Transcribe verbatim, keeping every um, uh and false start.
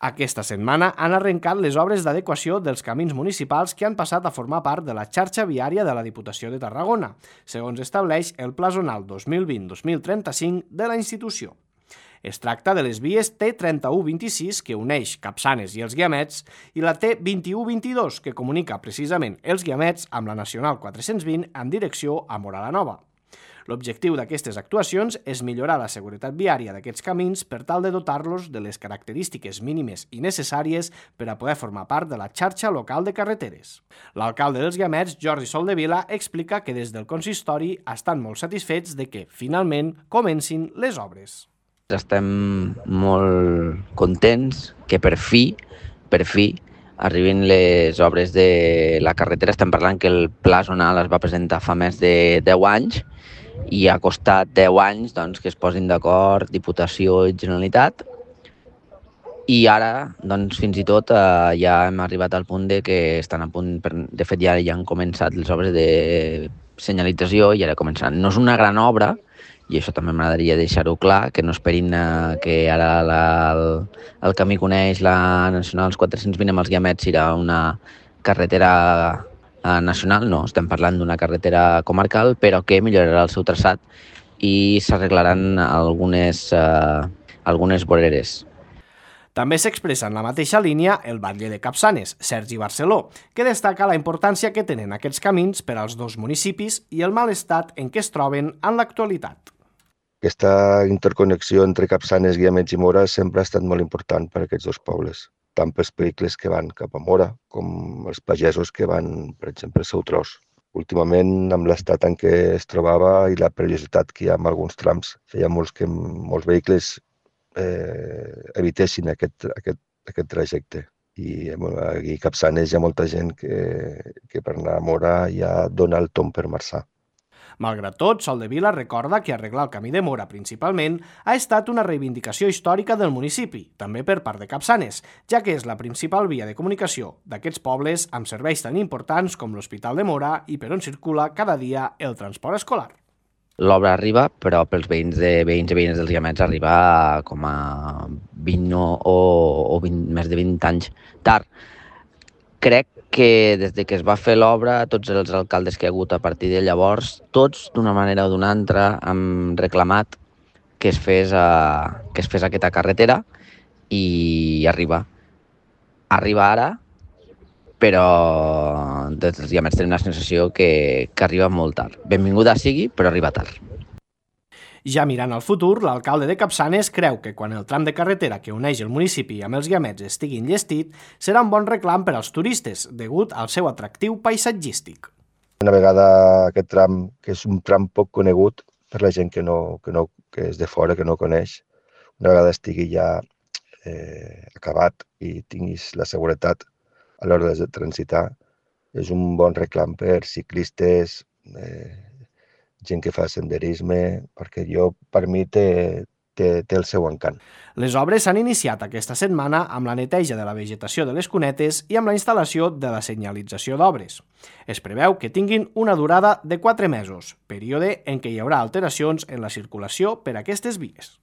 Aquesta setmana han arrencat les obres d'adequació dels camins municipals que han passat a formar part de la xarxa viària de la Diputació de Tarragona, segons estableix el Pla Zonal dos mil vint dos mil trenta-cinc de la institució. Es tracta de les vies T trenta-u vint-i-sis, que uneix Capçanes i els Guiamets, i la T vint-i-u vint-i-dos, que comunica precisament els Guiamets amb la Nacional quatre-cents vint en direcció a Móra la Nova. L'objectiu d'aquestes actuacions és millorar la seguretat viària d'aquests camins per tal de dotar-los de les característiques mínimes i necessàries per a poder formar part de la xarxa local de carreteres. L'alcalde dels Guiamets, Jordi Soldevila, explica que des del consistori estan molt satisfets de que, finalment, comencin les obres. Estem molt contents que per fi, per fi, arribin les obres de la carretera. Estem parlant que el Pla Zonal es va presentar fa més de deu anys i ha costat deu anys doncs, que es posin d'acord Diputació i Generalitat. I ara, doncs, fins i tot, eh, ja hem arribat al punt de que estan a punt, per, de fet ja, ja han començat les obres de senyalització i ara començaran. No és una gran obra, i això també m'agradaria deixar-ho clar, que no esperin eh, que ara la, el, el camí coneix la Nacional quatre-cents vint amb els Guiamets serà una carretera eh, nacional, no, estem parlant d'una carretera comarcal, però que millorarà el seu traçat i s'arreglaran algunes, eh, algunes voreres. També s'expressa en la mateixa línia el batlle de Capçanes, Sergi Barceló, que destaca la importància que tenen aquests camins per als dos municipis i el mal estat en què es troben en l'actualitat. Aquesta interconnexió entre Capçanes, Guiamets i Móra sempre ha estat molt important per a aquests dos pobles, tant pels vehicles que van cap a Móra com els pagesos que van, per exemple, al seu tros. Últimament, amb l'estat en què es trobava i la perillositat que hi ha en alguns trams, feia molts que molts vehicles eh, evitessin aquest, aquest, aquest trajecte. I aquí a Capçanes hi ha molta gent que, que per anar a Móra ja dona el tomb per marxar. Malgrat tot, Soldevila recorda que arreglar el camí de Móra principalment ha estat una reivindicació històrica del municipi, també per part de Capçanes, ja que és la principal via de comunicació d'aquests pobles amb serveis tan importants com l'Hospital de Móra i per on circula cada dia el transport escolar. L'obra arriba, però pels veïns, de, veïns i veïnes dels Guiamets arriba com a vint o, o vint, més de vint anys tard. Crec que des de que es va fer l'obra, tots els alcaldes que hi ha hagut a partir de llavors, tots d'una manera o d'una altra han reclamat que es fes, a, que es fes aquesta carretera i arriba. Arriba ara, però des dels Guiamets tenim la sensació que, que arriba molt tard. Benvinguda sigui, però arriba tard. Ja mirant al futur, l'alcalde de Capçanes creu que quan el tram de carretera que uneix el municipi amb els Guiamets estigui enllestit, serà un bon reclam per als turistes, degut al seu atractiu paisatgístic. Una vegada aquest tram, que és un tram poc conegut per la gent que, no, que, no, que és de fora, que no coneix, una vegada estigui ja eh, acabat i tinguis la seguretat a l'hora de transitar, és un bon reclam per ciclistes, eh, gent que fa senderisme, perquè jo, per mi té, té, té el seu encant. Les obres s'han iniciat aquesta setmana amb la neteja de la vegetació de les cunetes i amb la instal·lació de la senyalització d'obres. Es preveu que tinguin una durada de quatre mesos, període en què hi haurà alteracions en la circulació per aquestes vies.